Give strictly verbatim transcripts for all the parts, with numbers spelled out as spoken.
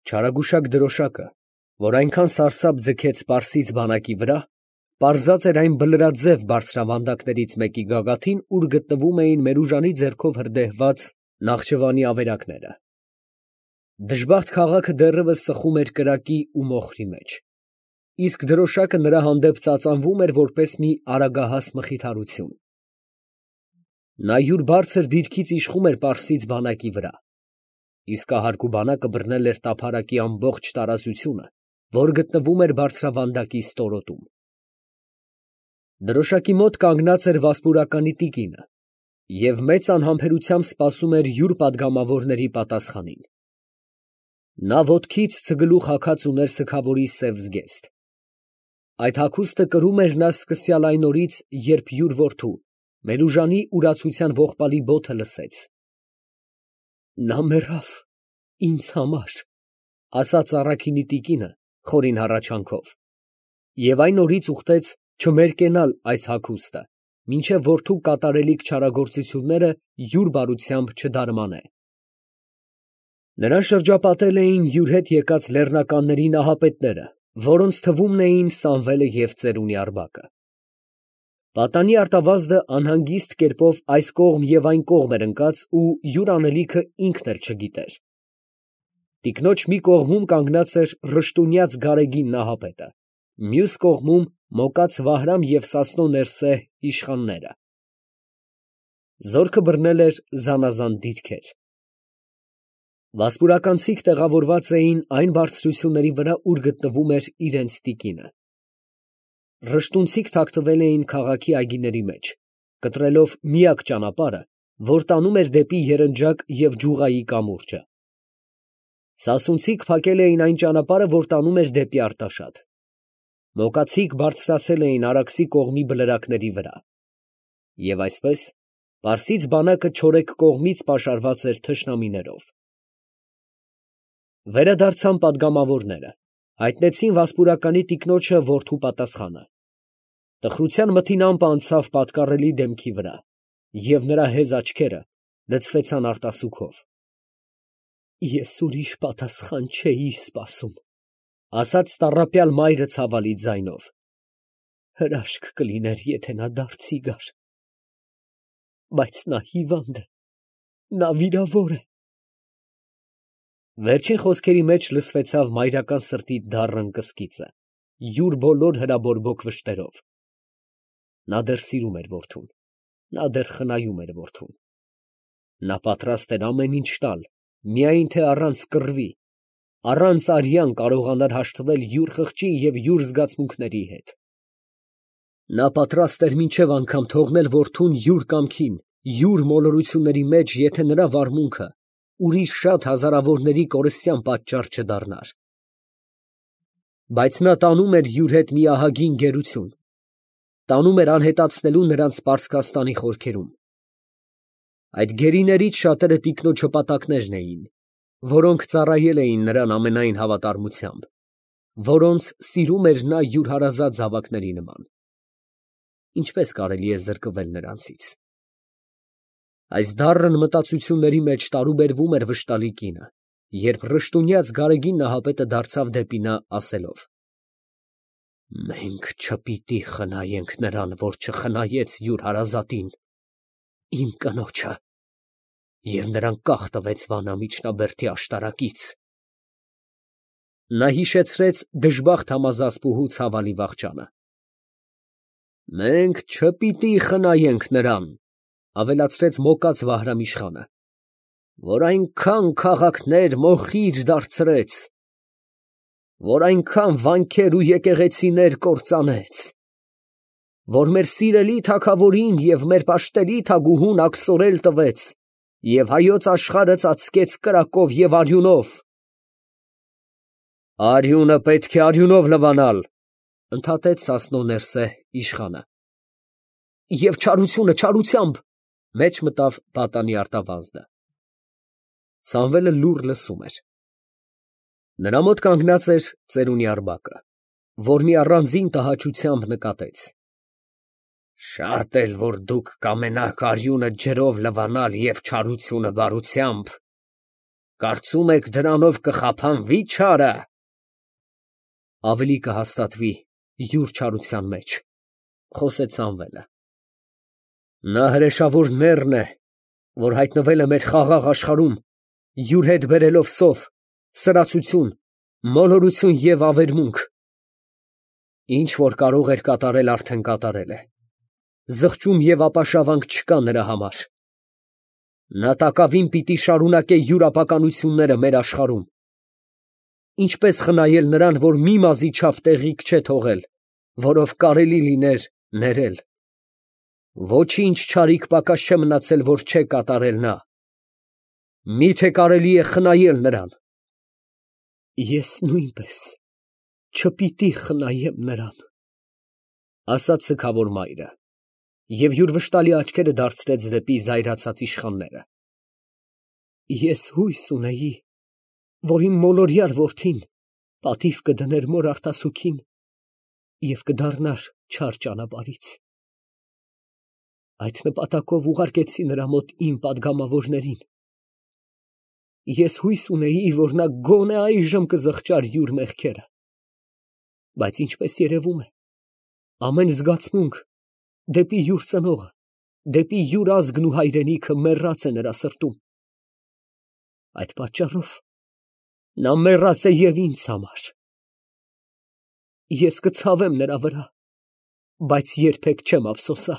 Չարագուշակ դրոշակը, որ այնքան սարսափ ձգեց պարսից բանակի վրա, պարզած էր այն բլրաձև բարձրավանդակներից մեկի գագաթին, ուր գտնվում էին Մերուժանի ձեռքով հրդեհված Նախճիվանի ավերակները։ Դժբախտ քաղաքը դեռևս սխում էր կրակի ու մոխրի մեջ, իսկ դրոշակը նրա հանդեպ ծածանվում էր որպես մի արագահաս մխիթարություն։ Նա յուր բարձր դիրքից իշխում էր պարսից բանակի վրա, իսկ կահարկու բանակը բռնել էր տափարակի ամբողջ տարածությունը, որ գտնվում էր բարձրավանդակի ստորոտում։ Դրոշակի մոտ կանգնած էր վասպուրականի տիկինը և մեծ անհամբերությամբ սպասում էր յուր պատգամավորների պատասխանին։ Նա ոտքից ցգլուխ հագած ուներ սգավորի սև զգեստ։ Այդ հագուստը կրում էր նա սկսյալ այն օրից, երբ յուր որդու Մերուժանի ուրացության ողբալի բոթը լսեց։ «Նա մեռավ ինձ համար», ֊ ասաց առաքինի տիկինը խորին հառաչանքով, և այն օրից ուխտեց չմերկենալ այս հագուստը, մինչև որդու կատարելիք չարագործությունները յուր բարությամբ չդարմանե։ Նրան շրջապատել էին յուր հետ եկած լեռնականների նահապետները, որոնց թվում էին Սամվելը և ծերունի Արձակը։ Պատանի արտավազդը անհանգիստ կերպով այս կողմ և այն կողմ էր ընկած ու յուր անելիքը ինքն էլ չգիտեր։ Տիկնոջ մի կողմում կանգնած էր ռշտունյաց գարեգին նահապետը, մյուս կողմում Մոկած Վահրամ և Սասնո Ներսե իշխանները։ Զորքը բռնել էր զանազան դիրքեր։ Վասպուրականցիք տեղավորված էին այն բարձրությունների վրա, ուր գտնվում էր իրենց տիկինը։ Ռշտունցիք թաքնվել էին քաղաքի այգիների մեջ, կտրելով միակ ճանապարհը, որ տանում էր դեպի Երնջակ և Ջուղայի կամուրջը։ Սասունցիք փակել էին այն ճանապարհը, որ տանում էր դեպի Արտաշատ։ Մոկացիք բարձրացել էին Արաքսի կողմի բլրակների վրա։ Եվ այսպես պարսից բանակը չորեքք կողմից պաշարված էր թշնամիներով։ Վերադարձան պատգամավորները, հայտնեցին վասպուրականի տիկնոջը որդու պատասխանը։ Տխրության մթին ամպը անցավ պատկառելի դեմքի վրա, և նրա հեզ աչքերը լցվեցան արտասուքով։ «Ես ուրիշ պատասխան չէի սպասում», ֊ ասաց տառապյալ մայրը ցավալի ձայնով։ «Հրաշք կլիներ, եթե նա դարձի գար, բայց նա հիվանդ է, նա վիրավոր է»։ Վերջին խոսքերի մեջ լսվեցավ մայրական սրտի դառն կսկիծը, յուր բոլոր հրաբորբոք վշտերով։ Նա դեռ սիրում էր որդուն, նա դեռ խնայում էր որդուն։ Նա պատրաստ էր ամեն ինչ տալ, միայն թե առանց կռվի, առանց արյան կարողանար հաշտվել յուր խղճի և յուր զգացմունքների հետ։ Նա պատրաստ էր մինչև անգամ թողնել որդուն յուր կամքին, յուր մոլորությունների մեջ, եթե նրա վարմունքը ուրիշ շատ հազարավորների կորստյան պատճառ չդառնար։ Բայց նա տանում էր յուր հետ մի ահագին գերություն, տանում էր անհետացնելու նրան Սպարսկաստանի խորքերում։ Այդ գերիներից շատերը տիկնոջ հպատակներն էին, որոնք ծառայել էին նրան ամենայն հավատարմությամբ, որոնց սիրում էր նա յուր հարազատ զավակների նման։ Ինչպե՞ս կարելի է զրկվել նրանցից։ Այս դառն մտածությունների մեջ տարուբերվում էր վշտալի կինը, երբ ռշտունյաց գարեգին նահապետը դարձավ դեպի նա, ասելով. «Մենք չպիտի խնայենք նրան, որ չխնայեց յուր հարազատին, իմ կնոջը», և նրան կախ տվեց Վանա միջնաբերդի աշտարակից։ Նա հիշեցրեց դժբախտ համազասպուհու ցավալի վախճանը։ «Մենք չպիտի խնայենք նրան», ավելացրեց Մոկած Վահրամ իշխանը, «որ այնքան քաղաքներ մոխիր դարձրեց, որ այնքան վանքեր ու եկեղեցիներ կործանեց, որ մեր սիրելի թագավորին և մեր պաշտելի թագուհուն աքսորել տվեց և հայոց աշխարհը ծածկեց կրակով և արյունով»։ «Արյունը պետք է արյունով լվանալ», ֊ ընդհատեց Սասնո Ներսե իշխանը։ «Եվ չարությունը չարությամբ», ֊ մեջ մտավ պատանի արտավազդը։ Սամվելը լուռ լսում էր։ Նրա մոտ կանգնած էր ծերունի Արձակը, որ մի առանձին տհաճությամբ նկատեց. «Շատ էլ որ դուք կամենաք արյունը ջրով լվանալ և չարությունը բարությամբ, Կարծում եք դրանով կխափանվի չարը։ Ավելի կհաստատվի յուր չարության մեջ, խոսեց Սամվելը։ Նա հրեշավոր նեռն է, որ հայտնվել է մեր խաղաղ աշխարհում, յուր հետ բերելով սով, սրացություն, մոլորություն և ավերմունք։ Ինչ որ կարող էր կատարել, արդեն կատարել է։ Զղջում և ապաշավանք չկա նրա համար։ Նա տակավին պիտի շարունակե յուր ապականությունները մեր աշխարհում։ Ինչպես խնայել նրան, որ մի մազի չափ տեղիք չէ թողել, որով կարելի լիներ ներել։ Ոչինչ չարիք պակաս չէ մնացել, որ չէ կատարել նա։ Մի՞թե կարելի է խնայել նրան։ Ես նույնպես չպիտի խնայեմ նրան, ասաց սգավոր մայրը, և յուր վշտալի աչքերը դարձրեց դեպի զայրացած իշխանները։ Ես հույս ունեի, որ իմ մոլորյալ որդին պատիվ կդներ մոր արտասուքին և կդառնար չար ճանապարհից։ Այդ նպատակով ուղարկեցի նրա մոտ իմ պատգամավորներին։ Ես հույս ունեի, որ նա գոնե այժմ կզղջար յուր մեղքերը, բայց ինչպես երևում է, ամեն զգացմունք դեպի յուր ծնողը, դեպի յուր ազգն ու հայրենիքը մեռած է նրա սրտում։ Այդ պատճառով նա մեռած է և ինձ համար։ Ես կցավեմ նրա վրա, բայց երբեք չեմ ափսոսա։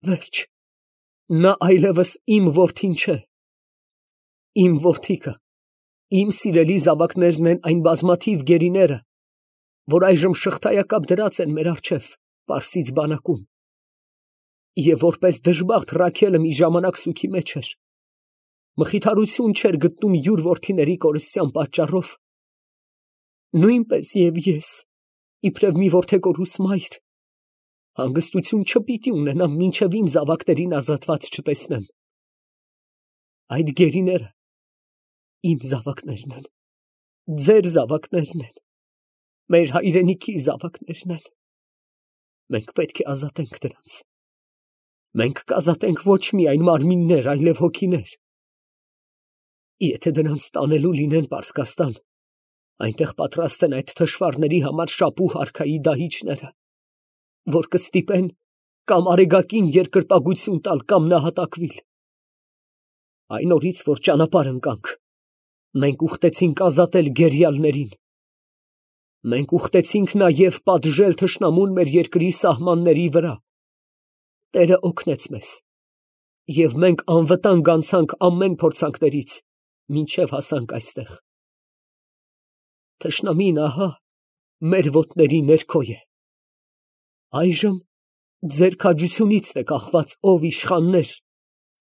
Վերջ, նա այլևս իմ որդին չէ։ Իմ որդիքը, իմ սիրելի զավակներն են այն բազմաթիվ գերիները, որ այժմ շղթայակապ դրած են մեր առջև Պարսից բանակում, և որպես դժբախտ Ռաքելը մի ժամանակ սուգի մեջ էր, մխիթարություն չէր գտնում յուր որդիների կորստյան պատճառով, նույնպես և ես, իբրև մի որդեգորուս մայր, հանգստություն չպիտի ունենամ, մինչև իմ զավակներին ազատված չտեսնեմ։ Այդ գերիները իմ զավակներն են, ձեր զավակներն են, մեր հայրենիքի զավակներն են։ Մենք պետք է ազատենք դրանց։ Մենք կազատենք ոչ միայն մարմիններ, այլև հոգիներ։ Եթե դրանց տանելու լինեն Պարսկաստան, այնտեղ պատրաստ են այդ թշվառների համար շապու հարքայի դահիճները, որ կստիպեն կամ արեգակին երկրպագություն տալ, կամ նահատակվիլ։ Այն օրից, որ ճանապարհ ընկանք, մենք ուխտեցինք ազատել գերիալներին։ Մենք ուխտեցինք նաև պատժել թշնամուն մեր երկրի սահմանների վրա։ Տերը օգնեց մեզ, և մենք անվտանգ անցանք ամեն փորձանքներից, մինչև հասանք այստեղ։ Թշնամին ահա մեր ոտների ներքո է։ Այժմ ձեր քաջությունից է կախված, ով իշխաններ,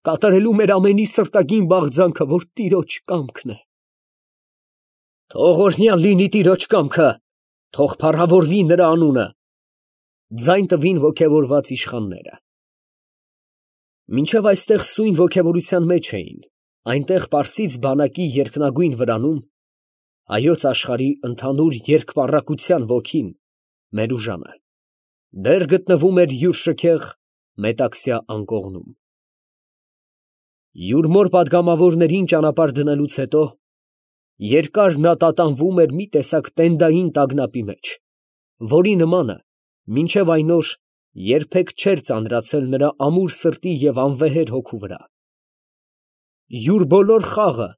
կատարելու մեր ամենի սրտագին բաղձանքը, որ Տիրոջ կամքն է։ Թող օրհնյալ լինի Տիրոջ կամքը, թող փառավորվի նրա անունը, ձայն տվին ոգևորված իշխանները։ Մինչև այստեղ սույն ոգևորության մեջ էին, այնտեղ Պարսից բանակի երկնագույն վրանում, հայոց աշխարհի ընդհանուր երկպառակության ոգին, մեր ուժանը, դեռ գտնվում էր յուր շքեղ մետաքսյա անկողնում։ Յուր մոր պատգամավորներին ճանապարհ դնելուց հետո երկար նա տատանվում էր մի տեսակ տենդային տագնապի մեջ, որի նմանը մինչև այն օր երբեք չէր ծանրացել նրա ամուր սրտի և անվեհեր հոգու վրա։ Յուր բոլոր խաղը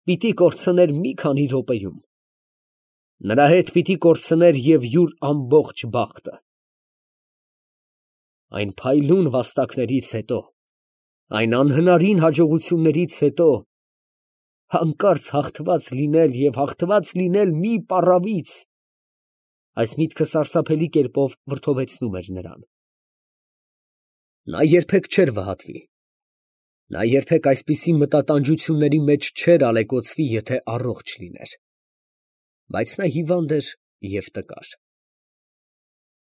պիտի կորցներ մի քանի րոպեում։ Նրա հետ պիտի կորցներ և յուր ամբողջ բախտը։ Այն փայլուն վաստակներից հետո, այն անհնարին հաջողություններից հետո, հանկարծ հաղթված լինել և հաղթված լինել մի պառավից, այս միտքը սարսափելի կերպով վրդովեցնում էր նրան։ Նա երբեք չէր վհատվի, նա երբեք այսպիսի մտատանջությունների մեջ չէր ալեկոծվի, եթե առողջ լիներ, բայց նա հիվանդ էր և տկար։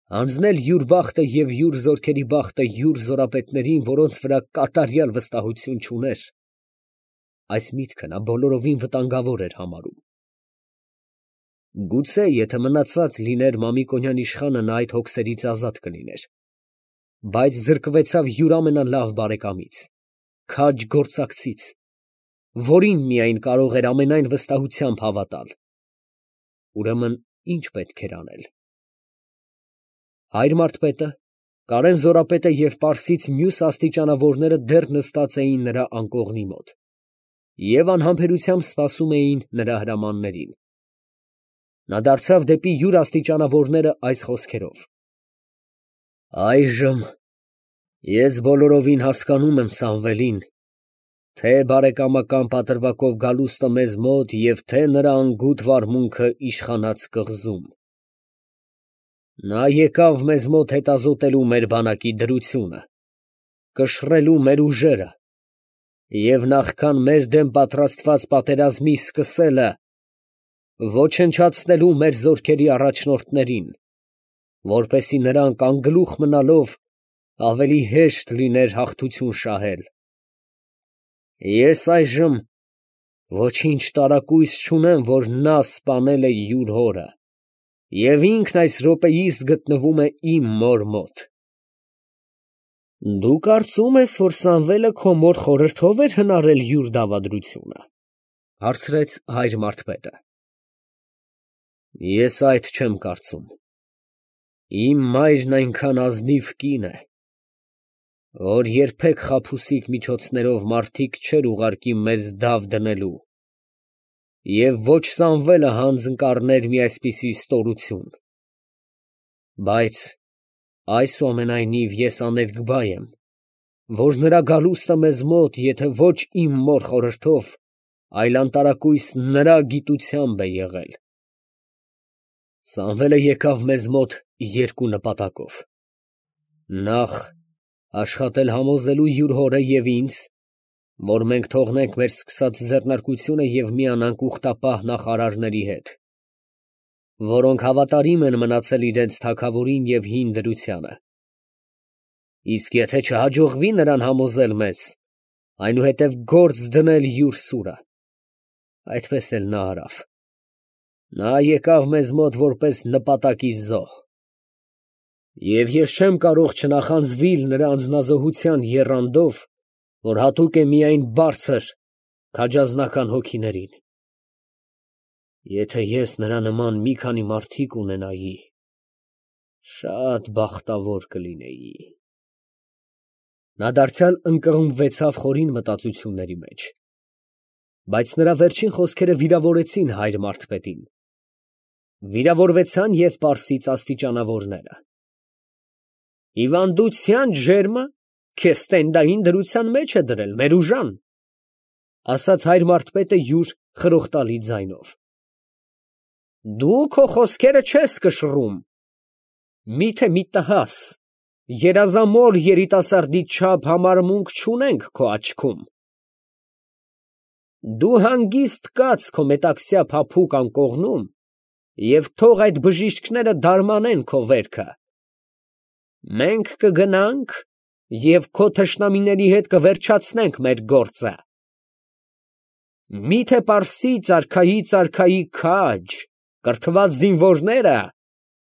Հանձնել յուր բախտը և յուր զորքերի բախտը յուր զորապետներին, որոնց վրա կատարյալ վստահություն չուներ, այս միտքը նա բոլորովին վտանգավոր էր համարում։ Գուցե, եթե մնացած լիներ Մամիկոնյան իշխանը, նա այդ հոգսերից ազատ կլիներ, բայց զրկվեցավ յուր ամենալավ բարեկամից, քաջ գործակցից, որին միայն կարող էր ամենայն վստահությամբ հավատալ։ Ուրեմն ի՞նչ պետք էր անել։ Հայր Մարթպետը, Կարեն Զորապետը և Պարսից մյուս աստիճանավորները դեռ նստած էին նրա անկողնի մոտ և անհամբերությամբ սպասում էին նրա հրամաններին։ Նա դարձավ դեպի յուր աստիճանավորները այս խոսքերով. «Այժմ ես բոլորովին հասկանում եմ Սամվելին, թե բարեկամական պատրվակով գալուստը մեզ մոտ և թե նրա անգութ վարմունքը իշխանած կղզում։ Նա եկավ մեզ մոտ հետազոտելու մեր բանակի դրությունը, կշռելու մեր ուժերը և նախքան մեր դեմ պատրաստված պատերազմի սկսելը, ոչնչացնելու մեր զորքերի առաջնորդներին, որպեսզի նրանք անգլուխ մնալով ավելի հեշտ լիներ հաղթություն շահել։ Ես այժմ ոչինչ տարակույս չունեմ, որ նա սպանել է յուր հորը և ինքն այս րոպեիս գտնվում է իմ մոր մոտ»։ «Դու կարծում ես, որ Սամվելը քո մոր խորհրդով էր հնարել յուր դավադրությունը, ֊ հարցրեց հայր Մարթպետը։ ֊ Ես այդ չեմ կարծում. իմ մայրն այնքան ազնիվ կին է, որ երբեք խաբուսիկ միջոցներով մարդիկ չէր ուղարկի մեզ դավ դնելու, և ոչ Սամվելը հանձն կառներ մի այսպիսի ստորություն։ Բայց այսուամենայնիվ ես աներկբա եմ, որ նրա գալուստը մեզ մոտ եթե ոչ իմ մոր խորհրդով, այլ անտարակույս նրա գիտությամբ է եղել։ Սամվելը եկավ մեզ մոտ երկու նպատակով. նախ, աշխատել համոզելու յուր հորը և ինձ, որ մենք թողնենք մեր սկսած ձեռնարկությունը և միանանք ուխտապահ նախարարների հետ, որոնք հավատարիմ են մնացել իրենց թագավորին և հին դրությանը, իսկ եթե չհաջողվի նրան համոզել մեզ, այնուհետև գործ դնել յուր սուրը։ Այդպես էլ նա արավ. նա եկավ մեզ մոտ որպես նպատակի զոհ, և ես չեմ կարող չնախանձվիլ նրա անձնազոհության եռանդով, որ հատուկ է միայն բարձր, քաջազնական հոգիներին։ Եթե ես նրա նման մի քանի մարդիկ ունենայի, շատ բախտավոր կլինեի։ Նա դարձյալ ընկղմվեցավ խորին մտածությունների մեջ, բայց նրա վերջին խոսքերը վիրավորեցին հայր Մարթպետին։ Վիրավորվեցան և պարսից աստիճանավորները։ «Հիվանդության ջերմը քեզ տենդային դրության մեջ է դրել, Մերուժան», ֊ ասաց հայր Մարթպետը յուր խրոխտալի ձայնով։ «Դու քո խոսքերը չես կշռում։ Մի՞թե մի տհաս, երազամոլ երիտասարդի չափ համարմունք չունենք քո աչքում։ Դու հանգիստ կաց քո մետաքսյա փափուկ անկողնում և թող այդ բժիշկները դարմանեն քո վերքը։ Մենք կգնանք և քո թշնամիների հետ կվերջացնենք մեր գործը։ Մի՞թե պարսից արքայից արքայի քաջ, կրթված զինվորները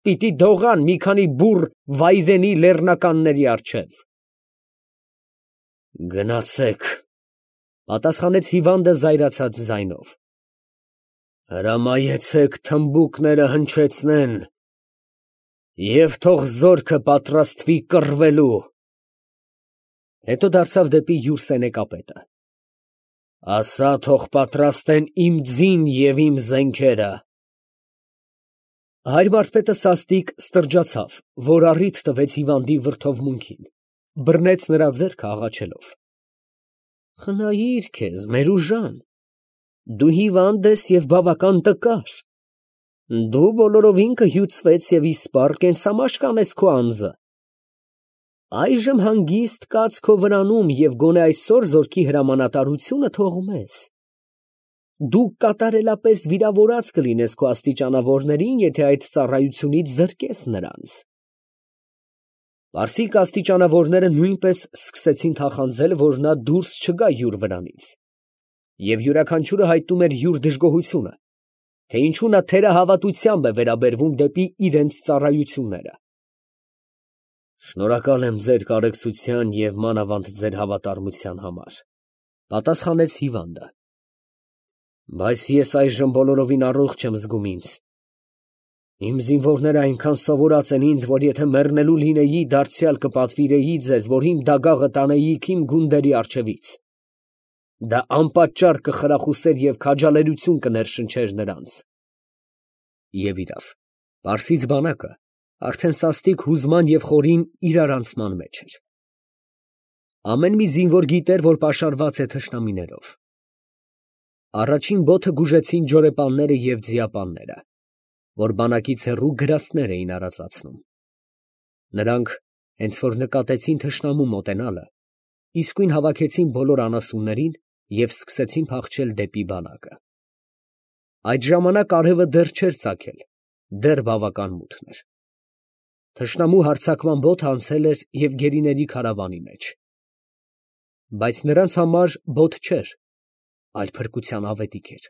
պիտի դողան մի քանի բուռ վայրենի լեռնականների առջև։ ֊ Գնացեք, ֊ պատասխանեց հիվանդը զայրացած ձայնով, ֊ հրամայեցեք թմբուկները հնչեցնեն և թող զորքը պատրաստվի կռվելու։ Հետո դարձավ դեպի յուր սենեկապետը. ասա, թող պատրաստեն իմ ձին և իմ զենքերը։ Հայր Մարթպետը սաստիկ ստրջացավ, որ առիթ տվեց հիվանդի վրդովմունքին, բռնեց նրա ձեռքը աղաչելով. «Խնայիր քեզ, Մերուժան, դու հիվանդ ես և բավական տկար, դու բոլորովին կհյուծվես և իսպառ կենսամաշկ անես քո անձը։ Այժմ հանգիստ կաց քո վրանում և գոնե այսօր զորքի հրամանատարությունը թող մեզ։ Դու կատարելապես վիրավորած կլինես քո աստիճանավորներին, եթե այդ ծառայությունից զրկես նրանց»։ Պարսիկ աստիճանավորները նույնպես սկսեցին թախանձել, որ նա դուրս չգա յուր վրանից, և յուրաքանչյուրը հայտնում էր յուր դժգոհությունը, թե ինչու նա թերահավատությամբ է վերաբերվում դեպի իրենց ծառայությունները։ «Շնորհակալ եմ ձեր կարեկցության և մանավանդ ձեր հավատարմության համար, ֊ պատասխանեց հիվանդը։ Բայց ես այժմ բոլորովին առողջ եմ զգում ինձ։ Իմ զինվորները այնքան սովորած են ինձ, որ եթե մեռնելու լինեի, դարձյալ կպատվիրեի ձեզ, որ իմ դագաղը տանեիք իմ գունդերի առջևից. դա անպատճառ կխրախուսեր և քաջալերություն կներշնչեր նրանց։ Եվ իրավ, պարսից բանակը արդեն սաստիկ հուզման և խորին իրարանցման մեջ էր։ Ամեն մի զինվոր գիտեր, որ պաշարված է թշնամիներով։ Առաջին բոթը գուժեցին ջորեպանները և ձիապանները, որ բանակից հեռու գրաստներ էին արածացնում։ Նրանք, հենց որ նկատեցին թշնամու մոտենալը, իսկույն հավաքեցին բոլոր անասուններին և սկսեցին փախչել դեպի բանակը։ Այդ ժամանակ արևը դեռ չէր ծագել, դեռ բավական մութն էր։ Թշնամու հարձակման բոթը անցել էր և գերիների քարավանի մեջ։ Բայց նրանց համար բոթ չէր, այլ փրկության ավետիք էր։